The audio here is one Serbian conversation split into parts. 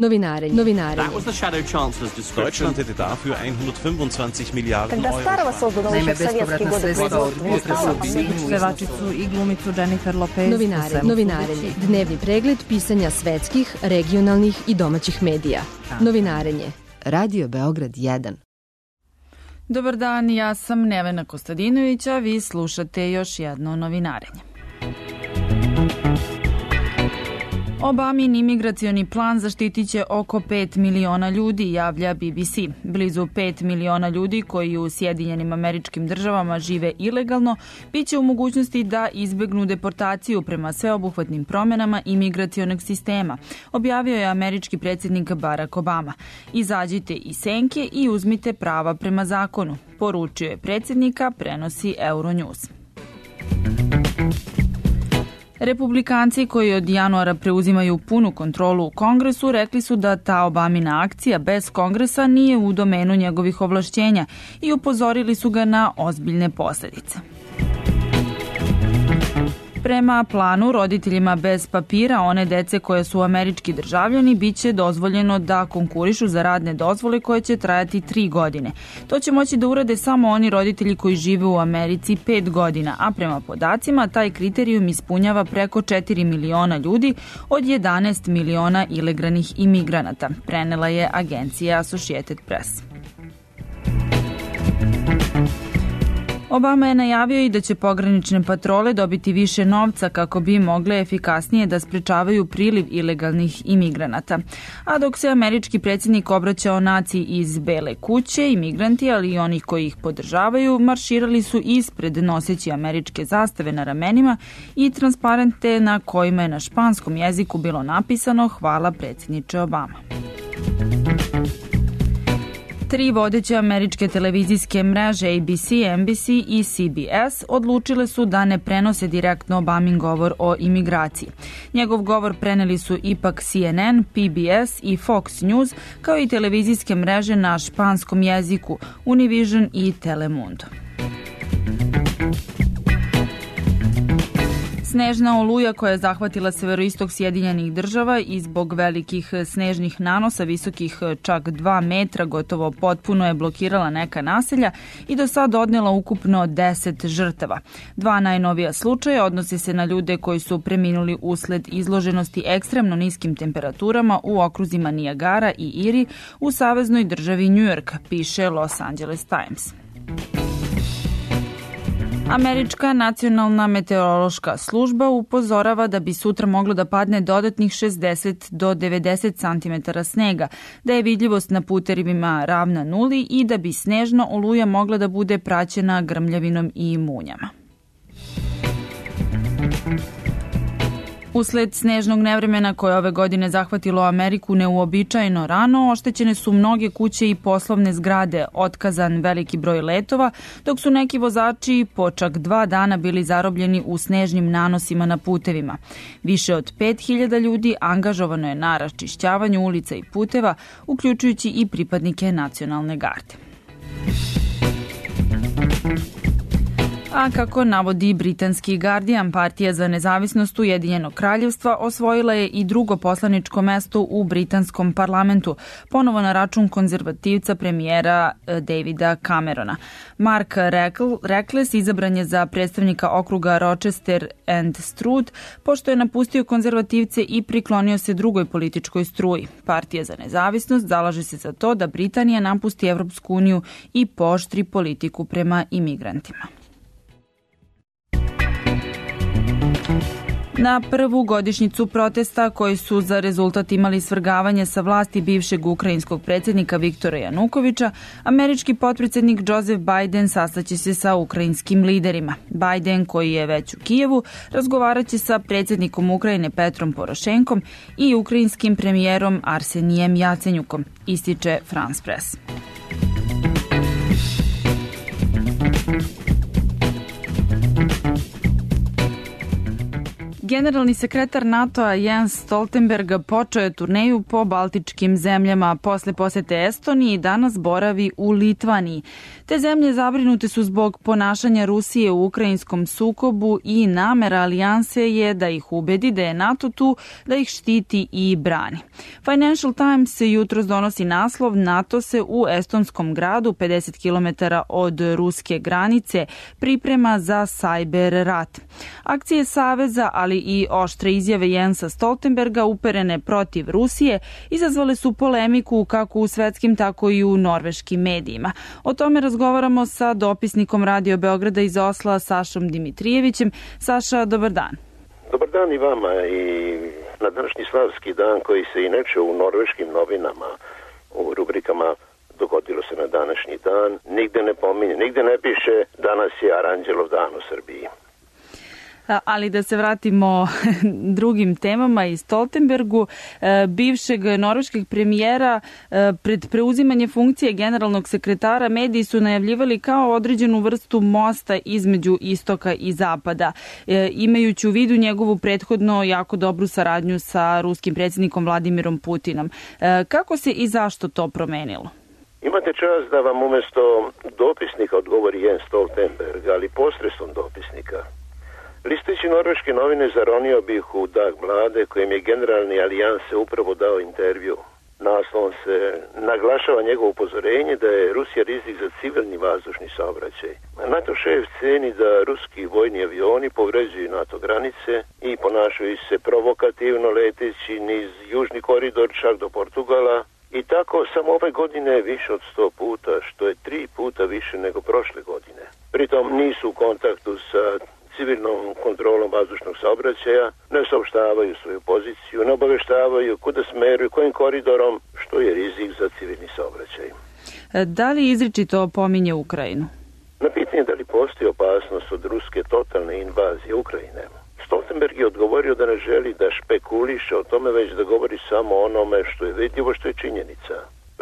Novinarenje. That was the Shadow Chancellor's description. Deutschland hätte dafür 125 Miliarden Когда старого создано еще в советские годы производства, pevačicu i glumicu Jennifer Lopez. Novinarenje. Dnevni pregled pisanja svetskih, regionalnih i domaćih medija. Novinarenje. Radio Beograd 1. Dobar dan, ja sam Nevena Kostadinović, a vi slušate još jedno novinarenje. Obamin imigracioni plan zaštitit će oko 5 miliona ljudi, javlja BBC. Blizu 5 miliona ljudi koji u Sjedinjenim Američkim Državama žive ilegalno biće u mogućnosti da izbegnu deportaciju prema sveobuhvatnim promenama imigracionog sistema, objavio je američki predsjednik Barack Obama. Izađite iz senke i uzmite prava prema zakonu, poručio je predsjednika, prenosi Euronews. Republikanci koji od januara preuzimaju punu kontrolu u Kongresu rekli su da ta Obamina akcija bez Kongresa nije u domenu njegovih ovlašćenja i upozorili su ga na ozbiljne posljedice. Prema planu, roditeljima bez papira one dece koje su američki državljani biće dozvoljeno da konkurišu za radne dozvole koje će trajati 3 godine. To će moći da urade samo oni roditelji koji žive u Americi 5 godina, a prema podacima taj kriterijum ispunjava preko 4 miliona ljudi od 11 miliona ilegalnih imigranata, prenela je agencija Associated Press. Obama je najavio i da će pogranične patrole dobiti više novca kako bi mogle efikasnije da sprečavaju priliv ilegalnih imigranata. A dok se američki predsjednik obraćao naciji iz Bele kuće, imigranti, ali i onih koji ih podržavaju, marširali su ispred noseći američke zastave na ramenima i transparente na kojima je na španskom jeziku bilo napisano "Hvala predsjedniče Obama". 3 vodeće američke televizijske mreže ABC, NBC i CBS odlučile su da ne prenose direktno Obamin govor o imigraciji. Njegov govor preneli su ipak CNN, PBS i Fox News, kao i televizijske mreže na španskom jeziku Univision i Telemundo. Snežna oluja koja je zahvatila severoistok Sjedinjenih Država i zbog velikih snežnih nanosa visokih čak 2 metra gotovo potpuno je blokirala neka naselja i do sad odnela ukupno 10 žrtava. 2 najnovija slučaja odnose se na ljude koji su preminuli usled izloženosti ekstremno niskim temperaturama u okruzima Niagara i Erie u saveznoj državi New York, piše Los Angeles Times. Američka nacionalna meteorološka služba upozorava da bi sutra moglo da padne dodatnih 60 do 90 cm snega, da je vidljivost na putevima ravna nuli i da bi snežna oluja mogla da bude praćena grmljavinom i munjama. Usled snežnog nevremena koje ove godine zahvatilo Ameriku neuobičajeno rano, oštećene su mnoge kuće i poslovne zgrade, otkazan veliki broj letova, dok su neki vozači po čak 2 dana bili zarobljeni u snežnim nanosima na putevima. Više od 5000 ljudi angažovano je na raščišćavanju ulica i puteva, uključujući i pripadnike nacionalne garde. A kako navodi britanski Guardian, Partija za nezavisnost Ujedinjenog kraljevstva osvojila je i drugo poslaničko mesto u britanskom parlamentu, ponovo na račun konzervativca premijera Davida Camerona. Mark Reckless izabran je za predstavnika okruga Rochester and Stroud, pošto je napustio konzervativce i priklonio se drugoj političkoj struji. Partija za nezavisnost zalaže se za to da Britanija napusti Evropsku uniju i pooštri politiku prema imigrantima. Na prvu godišnjicu protesta koji su za rezultat imali svrgavanje sa vlasti bivšeg ukrajinskog predsjednika Viktora Janukovića, američki potpredsjednik Joseph Biden sastaće se sa ukrajinskim liderima. Biden, koji je već u Kijevu, razgovaraće sa predsjednikom Ukrajine Petrom Porošenkom i ukrajinskim premijerom Arsenijem Jacenjukom, ističe France Press. Generalni sekretar NATO-a Jens Stoltenberg počeo je turneju po baltičkim zemljama. Posle posete Estoniji danas boravi u Litvaniji. Te zemlje zabrinute su zbog ponašanja Rusije u ukrajinskom sukobu i namera alijanse je da ih ubedi da je NATO tu da ih štiti i brani. Financial Times se jutros donosi naslov: NATO se u estonskom gradu 50 km od ruske granice priprema za cyber rat. Akcije Saveza, ali i oštre izjave Jensa Stoltenberga uperene protiv Rusije izazvale su polemiku kako u svetskim, tako i u norveškim medijima. O tome razgovaramo sa dopisnikom Radio Beograda iz Osla, Sašom Dimitrijevićem. Saša, dobar dan. Dobar dan i vama. I na današnji slavski dan, koji se inače u norveškim novinama u rubrikama dogodilo se na današnji dan, nigde ne pominje, nigde ne piše danas je Aranđelov dan u Srbiji. Ali da se vratimo drugim temama i Stoltenbergu, bivšeg norveškog premijera, pred preuzimanje funkcije generalnog sekretara mediji su najavljivali kao određenu vrstu mosta između istoka i zapada, imajući u vidu njegovu prethodno jako dobru saradnju sa ruskim predsjednikom Vladimirom Putinom. Kako se i zašto to promenilo? Imate čast da vam umjesto dopisnika odgovori Jens Stoltenberg, ali posredstvom dopisnika. Listajući norveške novine zaronio bih u Dagblade, kojem je generalni alijanse upravo dao intervju. Naslovom se naglašava njegovo upozorenje da je Rusija rizik za civilni vazdušni saobraćaj. NATO šef ceni da ruski vojni avioni povređuju NATO granice i ponašaju se provokativno leteći niz južni koridor čak do Portugala. I tako samo ove godine više od 100 puta, što je 3 puta više nego prošle godine. Pritom nisu u kontaktu sa civilnom kontrolom vazdušnog saobraćaja, ne saopštavaju svoju poziciju, ne obaveštavaju kuda smeruju, kojim koridorom, što je rizik za civilni saobraćaj. Da li izričito pominje Ukrajinu? Na pitanje da li postoji opasnost od ruske totalne invazije Ukrajine, Stoltenberg je odgovorio da ne želi da špekuliše o tome, već da govori samo o onome što je vidljivo, što je činjenica.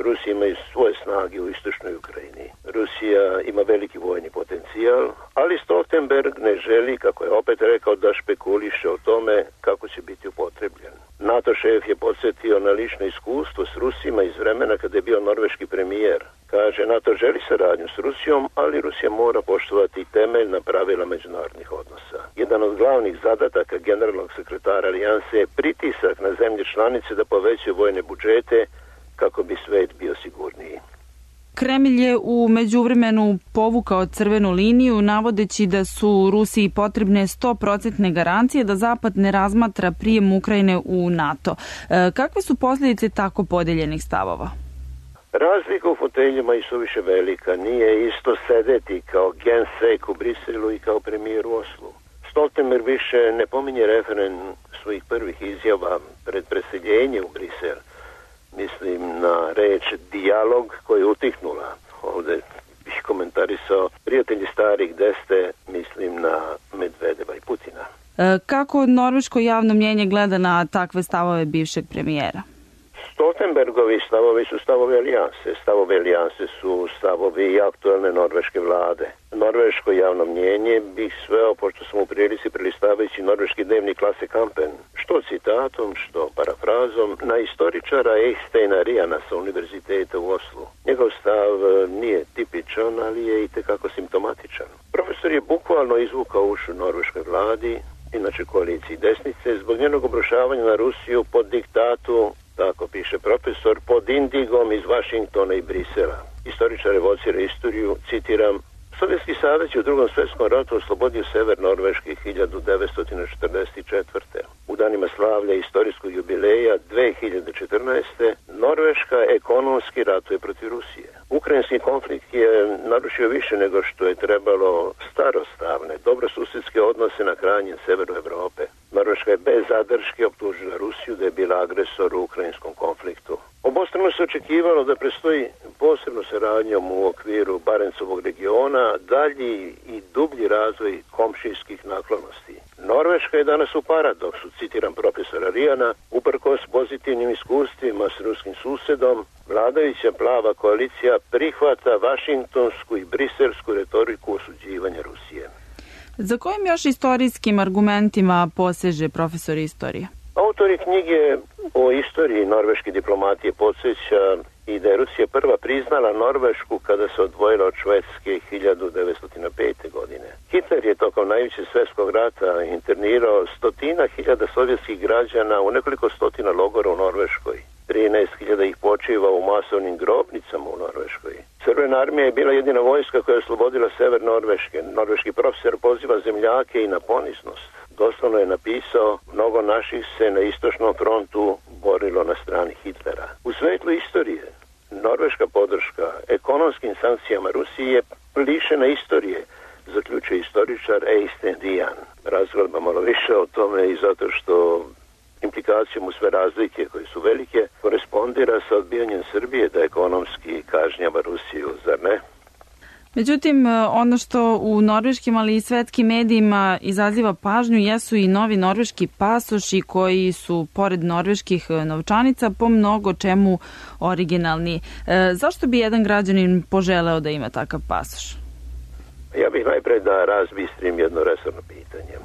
Rusija ima svoje snage u istočnoj Ukrajini. Rusija ima veliki vojni potencijal, ali Stoltenberg ne želi, kako je opet rekao, da špekuliše o tome kako će biti upotrebljen. NATO šef je podsjetio na lično iskustvo s Rusima iz vremena kada je bio norveški premijer. Kaže, NATO želi saradnju s Rusijom, ali Rusija mora poštovati temeljna pravila međunarodnih odnosa. Jedan od glavnih zadataka generalnog sekretara alijanse je pritisak na zemlje članice da povećaju vojne budžete kako bi svet bio sigurniji. Kremlj je u međuvremenu povukao crvenu liniju, navodeći da su Rusiji potrebne 100% garancije da Zapad ne razmatra prijem Ukrajine u NATO. Kakve su posljedice tako podeljenih stavova? Razlika u foteljima je suviše velika. Nije isto sedeti kao gensek u Briselu i kao premijer u Oslu. Stoltenberg više ne pominje referen svojih prvih izjava pred preseljenje u Brisel. Mislim na reč dijalog koja je utihnula. Ovdje bih komentarisao prijatelji starih deste, mislim na Medvedeva i Putina. Kako norveško javno mnjenje gleda na takve stavove bivšeg premijera? Stoltenbergovi stavovi su stavovi alijanse. Stavovi alijanse su stavovi aktualne norveške vlade. Norveško javno mnjenje bih sveo, pošto sam u prilici prelistavajući norveški dnevnik Lasse Kampen, što citatom, što parafrazom, na istoričara Eysteina Riana sa univerziteta u Oslu. Njegov stav nije tipičan, ali je i tekako simptomatičan. Profesor je bukvalno izvukao ušu norveškoj vladi, inače koaliciji desnice, zbog njenog obrušavanja na Rusiju pod diktatu, tako piše profesor, pod indigom iz Vašingtona i Brisela. Istoričar evocira istoriju, citiram, Sovjetski savez je u Drugom svjetskom ratu oslobodio sever Norveške 1944. U danima slavlja istorijskog jubileja 2014. Norveška ekonomski ratuje protiv Rusije. Ukrajinski konflikt je narušio više nego što je trebalo starostavne, dobrosusjedske odnose na krajnjem severu Evrope. Norveška je bez zadrške optužila Rusiju da je bila agresor u ukrajinskom konfliktu. Obostrano se očekivalo da predstoji posebno saradnjom u okviru Barencovog regiona dalji i dublji razvoj komšijskih naklonosti. Norveška je danas u paradoksu, citiram profesora Rijana, uprkos pozitivnim iskustvima s ruskim susedom, vladajuća plava koalicija prihvata vašingtonsku i briselsku retoriku osuđivanja Rusije. Za kojim još istorijskim argumentima poseže profesor istorije? Autori knjige o istoriji norveške diplomatije podsjeća i da je Rusija prva priznala Norvešku kada se odvojila od Švedske 1905. godine. Hitler je tokom najvećeg svjetskog rata internirao 100.000 sovjetskih građana u nekoliko stotina logora u Norveškoj. 13.000 ih počiva u masovnim grobnicama u Norveškoj. Crvena armija je bila jedina vojska koja je oslobodila sever Norveške. Norveški profesor poziva zemljake i na poniznost. Doslovno je napisao, mnogo naših se na istočnom frontu borilo na strani Hitlera. U svetlu istorije, norveška podrška ekonomskim sankcijama Rusije je lišena istorije, zaključuje istoričar Eystein Dian. Razgleda malo više o tome i zato što implikacijom u sve razlike koje su velike korespondira sa odbijanjem Srbije da ekonomski kažnjava Rusiju, zar ne? Međutim, ono što u norveškim, ali i svetskim medijima izaziva pažnju jesu i novi norveški pasoši koji su, pored norveških novčanica, po mnogo čemu originalni. Zašto bi jedan građanin poželeo da ima takav pasoš? Ja bih najprej da razbistrim jedno resorno pitanje.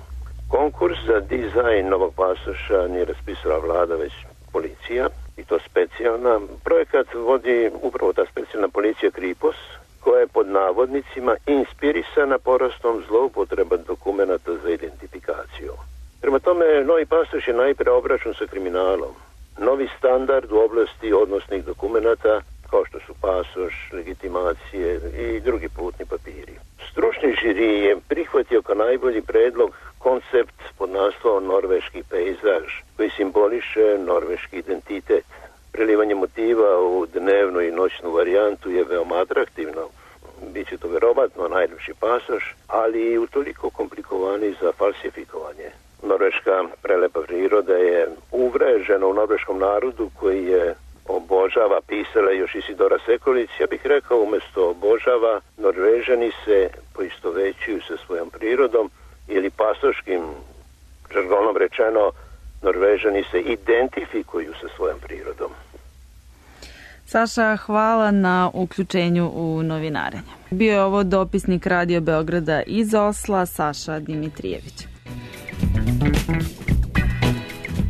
Konkurs za dizajn novog pasoša nije raspisala vlada, već policija, i to specijalna. Projekat vodi upravo ta specijalna policija Kripos, koja je pod navodnicima inspirisana porastom zloupotreba dokumenata za identifikaciju. Prema tome, novi pasoš je najpre obračun sa kriminalom. Novi standard u oblasti odnosnih dokumenata, kao što su pasoš, legitimacije i drugi putni papiri. Stručni žiri je prihvatio kao najbolji predlog koncept pod naslovom norveški pejzaž, koji simboliše norveški identitet. Prelivanje motiva u dnevnu i noćnu varijantu je veoma atraktivno. Biće to verovatno najljepši pasoš, ali i utoliko komplikovaniji za falsifikovanje. Norveška prelepa priroda je uvrežena u norveškom narodu koji je obožava, pisala još Isidora Sekulić. Ja bih rekao, umjesto obožava, Norvežani se poistovećuju sa svojom prirodom ili pasoškim žargonom rečeno, Norvežani se identifikuju sa svojom prirodom. Saša, hvala na uključenju u novinarenje. Bio je ovo dopisnik Radio Beograda iz Osla, Saša Dimitrijević.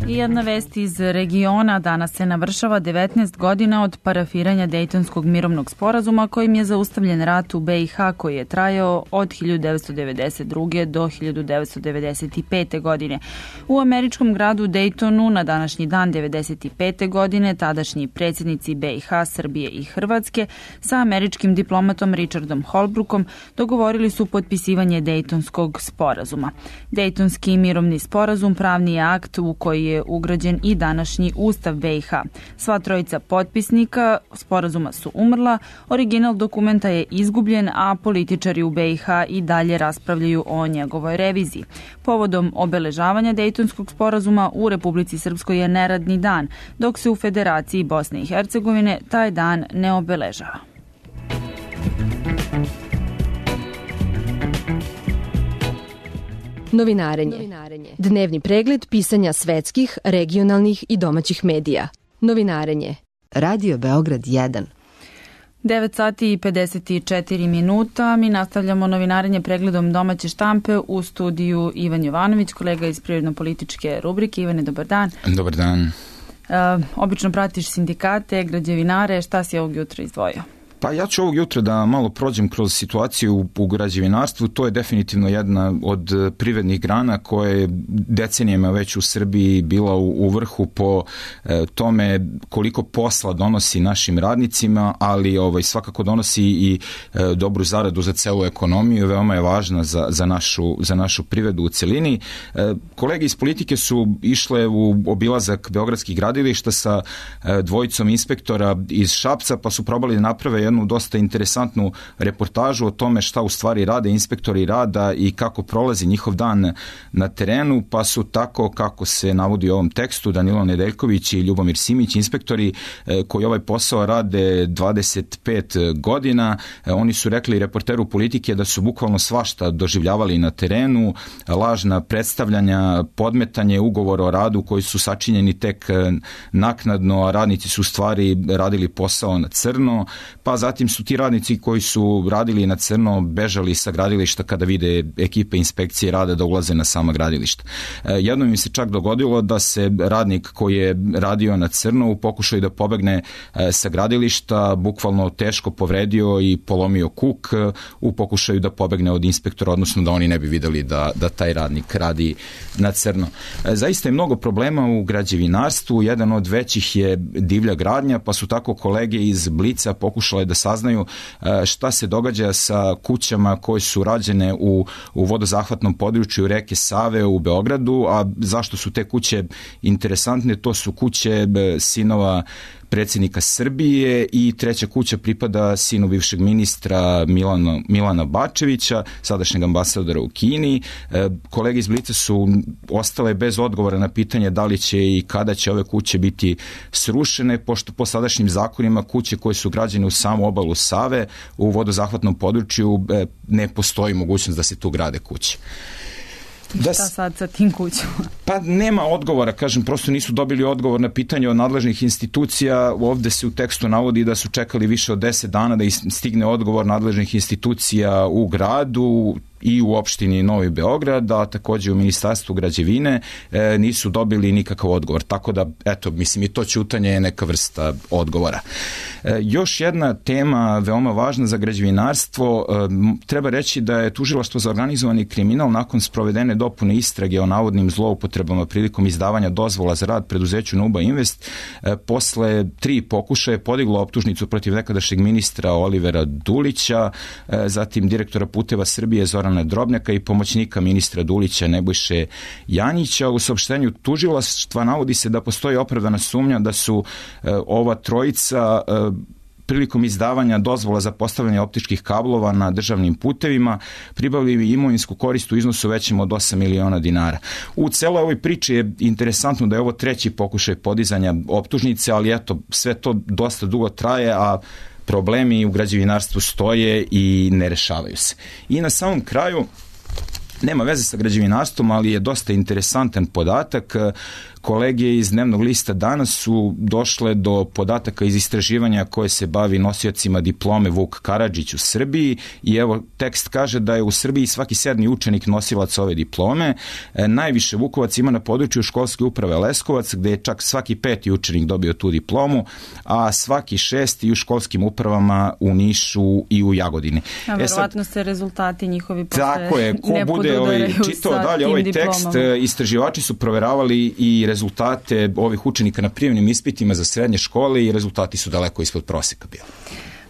I jedna vest iz regiona. Danas se navršava 19 godina od parafiranja Dejtonskog mirovnog sporazuma kojim je zaustavljen rat u BiH koji je trajao od 1992. do 1995. godine. U američkom gradu Dejtonu na današnji dan 1995. godine tadašnji predsjednici BiH, Srbije i Hrvatske sa američkim diplomatom Richardom Holbrookom dogovorili su potpisivanje Dejtonskog sporazuma. Dejtonski mirovni sporazum pravni je akt u koji je ugrađen i današnji Ustav BiH. Sva trojica potpisnika sporazuma su umrla, original dokumenta je izgubljen, a političari u BiH i dalje raspravljaju o njegovoj reviziji. Povodom obeležavanja Dejtonskog sporazuma u Republici Srpskoj je neradni dan, dok se u Federaciji Bosne i Hercegovine taj dan ne obeležava. Novinarenje. Dnevni pregled pisanja svetskih, regionalnih i domaćih medija. Novinarenje. Radio Beograd 1. 9 sati i 54 minuta. Mi nastavljamo novinarenje pregledom domaće štampe u studiju Ivan Jovanović, kolega iz prirodno-političke rubrike. Ivane, dobar dan. Dobar dan. Obično pratiš sindikate, građevinare. Šta si ovog jutra izdvojio? Pa ja ću ovog jutra da malo prođem kroz situaciju u građevinarstvu. To je definitivno jedna od privrednih grana koja je decenijama već u Srbiji bila u vrhu po tome koliko posla donosi našim radnicima, ali svakako donosi i dobru zaradu za celu ekonomiju. Veoma je važna za našu privredu u celini. Kolege iz politike su išle u obilazak beogradskih gradilišta sa dvojicom inspektora iz Šapca, pa su probali da naprave jednu dosta interesantnu reportažu o tome šta u stvari rade inspektori rada i kako prolazi njihov dan na terenu, pa su tako, kako se navodi u ovom tekstu, Danilo Nedeljković i Ljubomir Simić, inspektori koji ovaj posao rade 25 godina. Oni su rekli reporteru politike da su bukvalno svašta doživljavali na terenu, lažna predstavljanja, podmetanje ugovora o radu koji su sačinjeni tek naknadno, a radnici su u stvari radili posao na crno, pa pa zatim su ti radnici koji su radili na crno bežali sa gradilišta kada vide ekipe inspekcije rada da ulaze na sama gradilišta. Jednom mi se čak dogodilo da se radnik koji je radio na crno u pokušaju da pobegne sa gradilišta bukvalno teško povredio i polomio kuk u pokušaju da pobegne od inspektora, odnosno da oni ne bi videli da taj radnik radi na crno. Zaista je mnogo problema u građevinarstvu, jedan od većih je divlja gradnja, pa su tako kolege iz Blica pokušale da saznaju šta se događa sa kućama koje su rađene u vodozahvatnom području reke Save u Beogradu, a zašto su te kuće interesantne? To su kuće sinova predsjednika Srbije i treća kuća pripada sinu bivšeg ministra Milana Bačevića, sadašnjeg ambasadora u Kini. Kolege iz Blica su ostale bez odgovora na pitanje da li će i kada će ove kuće biti srušene, pošto po sadašnjim zakonima kuće koje su građene u samu obalu Save u vodozahvatnom području ne postoji mogućnost da se tu grade kuće. Šta sad sa tim kućama? Pa nema odgovora, kažem, prosto nisu dobili odgovor na pitanje od nadležnih institucija. Ovde se u tekstu navodi da su čekali više od 10 dana da stigne odgovor nadležnih institucija u gradu i u opštini Novi Beograd, a takođe u Ministarstvu građevine nisu dobili nikakav odgovor. Tako da, eto, mislim, i to ćutanje je neka vrsta odgovora. Još jedna tema veoma važna za građevinarstvo, treba reći da je Tužilaštvo za organizovani kriminal nakon sprovedene dopune istrage o navodnim zloupotrebama prilikom izdavanja dozvola za rad preduzeću Nuba Invest posle 3 pokušaja podiglo optužnicu protiv nekadašnjeg ministra Olivera Dulića, zatim direktora Puteva Srbije Zorana Drobnjaka i pomoćnika ministra Dulića Nebojše Janjića. U saopštenju tužilaštva navodi se da postoji opravdana sumnja da su ova trojica prilikom izdavanja dozvola za postavljanje optičkih kablova na državnim putevima pribavili imovinsku korist u iznosu većem od 8 miliona dinara. U celoj ovoj priči je interesantno da je ovo 3. pokušaj podizanja optužnice, ali eto, sve to dosta dugo traje, a problemi u građevinarstvu stoje i ne rešavaju se. I na samom kraju, nema veze sa građevinarstvom, ali je dosta interesantan podatak. Kolege iz dnevnog lista danas su došle do podataka iz istraživanja koje se bavi nosiocima diplome Vuk Karadžić u Srbiji i evo tekst kaže da je u Srbiji svaki 7. učenik nosilac ove diplome. Najviše Vukovac ima na području školske uprave Leskovac, gde je čak svaki 5. učenik dobio tu diplomu, a svaki 6. u školskim upravama u Nišu i u Jagodini. A verovatno se rezultati njihovi posle tako je, ko bude čitao dalje ovaj tekst, istraživači su proveravali i rezultate ovih učenika na prijemnim ispitima za srednje škole i rezultati su daleko ispod proseka bili.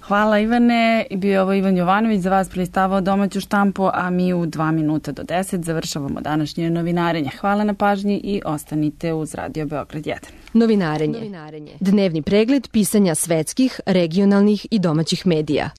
Hvala Ivane, bio je ovo Ivan Jovanović, za vas prelistavao domaću štampu, a mi u 2 minuta do 10 završavamo današnje novinarenje. Hvala na pažnji i ostanite uz Radio Beograd 1. Novinarenje. Dnevni pregled pisanja svetskih, regionalnih i domaćih medija.